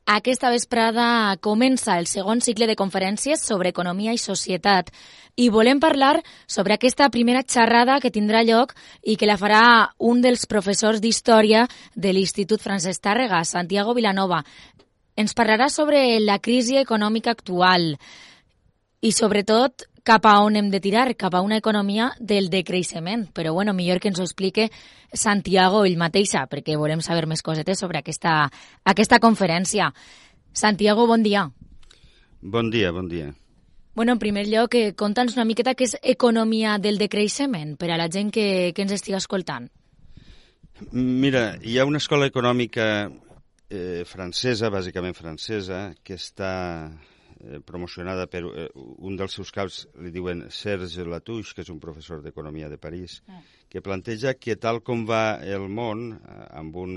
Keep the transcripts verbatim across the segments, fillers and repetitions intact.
Aquesta vesprada comença el segon cicle de conferències sobre economia i societat i volem parlar sobre aquesta primera xerrada que tindrà lloc i que la farà un dels professors d'Història de l'Institut Francesc Tàrrega, Santiago Vilanova. Ens parlarà sobre la crisi econòmica actual i, sobretot, cap a on hem de tirar, cap a una economia del decreixement. Però, bueno, millor que ens ho explique Santiago ell mateixa, perquè volem saber més cosetes sobre aquesta, aquesta conferència. Santiago, bon dia. Bon dia, bon dia. Bueno, en primer lloc, eh, conta'ns una miqueta què és economia del decreixement per a la gent que, que ens estigui escoltant. Mira, hi ha una escola econòmica eh, francesa, bàsicament francesa, que està eh, promocionada per eh, un dels seus caps, li diuen Serge Latouche, que és un professor d'economia de París, ah. que planteja que tal com va el món, eh, amb un,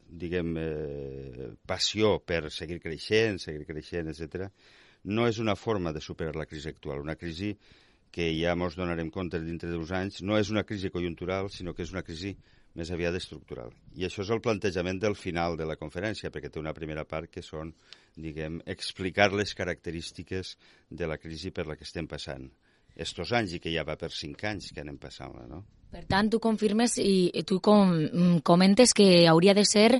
diguem, eh, passió per seguir creixent, seguir creixent, etcètera, no és una forma de superar la crisi actual. Una crisi que ja ens donarem compte dintre d'uns anys, no és una crisi conjuntural, sinó que és una crisi més aviat estructural. I això és el plantejament del final de la conferència, perquè té una primera part que són, diguem, explicar les característiques de la crisi per la que estem passant. Estos anys, i que ja va per cinc anys que anem passant-la, no? Per tant, tu confirmes i tu com, comentes que hauria de ser,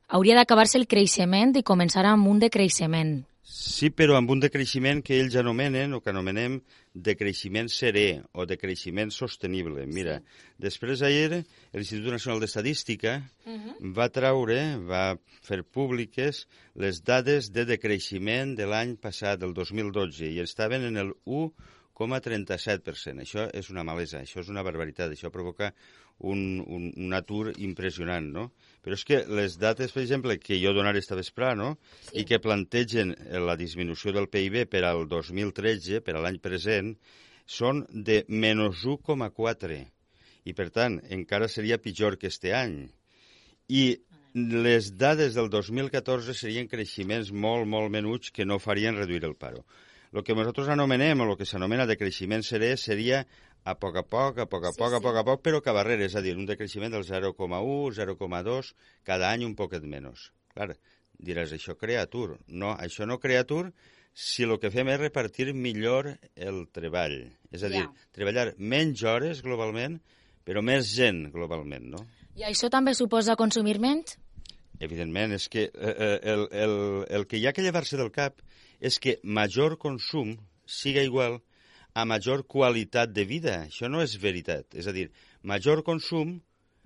hauria d'acabar-se el creixement i començar amb un decreixement. Sí, però amb un decreixement que ells anomenen, o que anomenem, decreixement serè o decreixement sostenible. Mira, sí. Després ahir l'Institut Nacional d'Estadística uh-huh. va traure, va fer públiques les dades de decreixement de l'any passat, del dos mil dotze, i estaven en el u coma trenta-set per cent. Això és una malesa, això és una barbaritat, això provoca un, un, un atur impressionant, no? Però és que les dates, per exemple, que jo donaré esta vesprà, no? Sí. I que plantegen la disminució del P I B per al dos mil tretze, per a l'any present, són de menys u coma quatre. I, per tant, encara seria pitjor que este any. I les dades del dos mil catorze serien creixements molt, molt menuts que no farien reduir el paro. El que nosaltres anomenem, o el que s'anomena decreixement serè, seria a poc a poc, a poc a poc, sí, a poc a poc, però que barrera, és a dir, un decreixement del zero coma u, zero coma dos, cada any un poquet menys. Clar, diràs, això crea atur. No, això no crea atur si el que fem és repartir millor el treball. És a dir, yeah. treballar menys hores globalment, però més gent globalment, no? I això també suposa consumir menys? Evidentment, és que eh, el, el, el que hi ha que llevar-se del cap és que major consum siga igual a major qualitat de vida. Això no és veritat. És a dir, major consum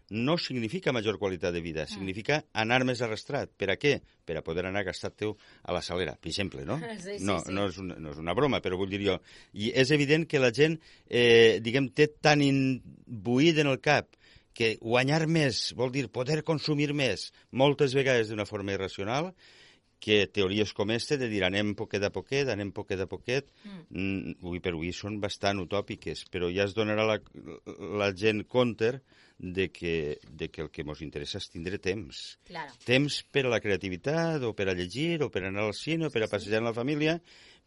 no significa major qualitat de vida, significa anar més arrastrat. Per a què? Per a poder anar a gastar-te a la salera, per exemple, no? Sí, sí, no, sí. no, és una, no és una broma, però vull dir jo. I és evident que la gent, eh, diguem, té tan imbuït en el cap que guanyar més vol dir poder consumir més, moltes vegades d'una forma irracional, que teories com este de dir anem poquet a poquet, anem poquet a poquet, mm. avui per avui són bastant utòpiques, però ja es donarà la, la gent compte de que, de que el que ens interessa és tindre temps. Claro. Temps per a la creativitat, o per a llegir, o per a anar al cine, o per a passejar amb la família,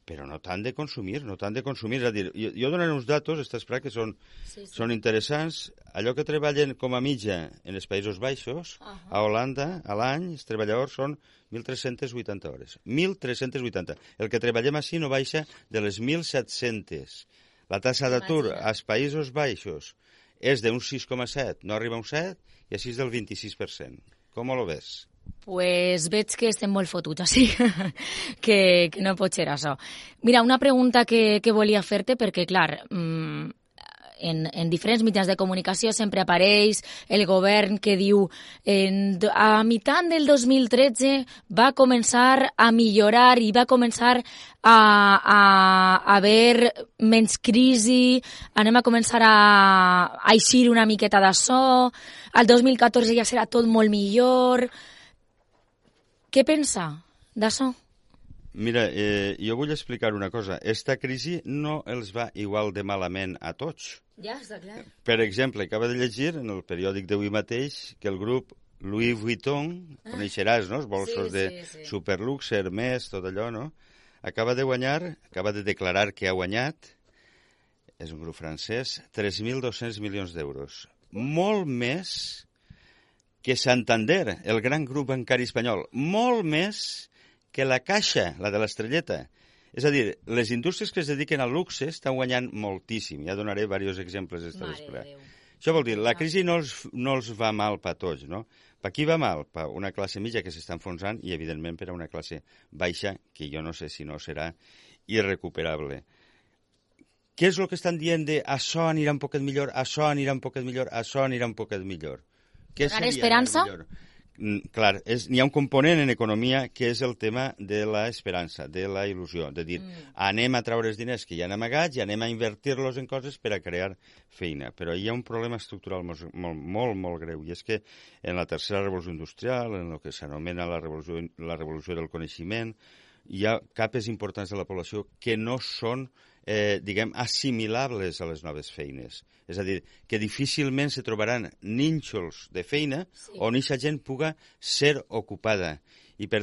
però no tant de consumir, no tant de consumir. És a dir, jo, jo donaré uns datos, esta esperar que són, sí, sí. són interessants. Allò que treballen com a mitja en els Països Baixos, uh-huh. a Holanda, a l'any, els treballadors són mil tres-centes vuitanta hores. mil tres-centes vuitanta. El que treballem així no baixa de les mil set-centes. La tassa d'atur als Països Baixos és d'un sis coma set, no arriba a un set, i així és del vint-i-sis per cent. Com ho ves? Pues veig que estem molt fotuts, així que, que no pot ser això. Mira, una pregunta que, que volia fer-te, perquè, clar, mmm, en, en diferents mitjans de comunicació sempre apareix el govern que diu en, a meitat del dos mil tretze va començar a millorar i va començar a, a, a haver menys crisi, anem a començar a, a eixir una miqueta d'això, al dos mil catorze ja serà tot molt millor. Què pensa d'això? Mira, eh, jo vull explicar una cosa. Esta crisi no els va igual de malament a tots. Ja, està clar. Per exemple, acaba de llegir en el periòdic d'avui mateix que el grup Louis Vuitton, ah. coneixeràs, no? Els bolsos sí, de sí, sí. Superlux, Hermès, tot allò, no? Acaba de guanyar, acaba de declarar que ha guanyat, és un grup francès, tres mil dos-cents milions d'euros. Molt més que Santander, el gran grup bancari espanyol. Molt més que la caixa, la de l'estrelleta. És a dir, les indústries que es dediquen al luxe estan guanyant moltíssim. Ja donaré diversos exemples d'esta després. Això vol dir, la crisi no els, no els va mal per tots, no? Per qui va mal? Per una classe mitja que s'està enfonsant i, evidentment, per a una classe baixa que jo no sé si no serà irrecuperable. Què és el que estan dient de això anirà un poquet millor, això anirà un poquet millor, això anirà un poquet millor? Què donar esperança? Mm, clar, és, n'hi ha un component en economia que és el tema de l'esperança, de la il·lusió, de dir, mm. anem a treure els diners que hi ha amagats i anem a invertir-los en coses per a crear feina. Però hi ha un problema estructural molt, molt, molt, molt greu, i és que en la tercera revolució industrial, en el que s'anomena la revolució, la revolució del coneixement, hi ha capes importants de la població que no són eh, diguem, assimilables a les noves feines. És a dir, que difícilment se trobaran nínxols de feina sí. on aquesta gent puga ser ocupada. I per tant,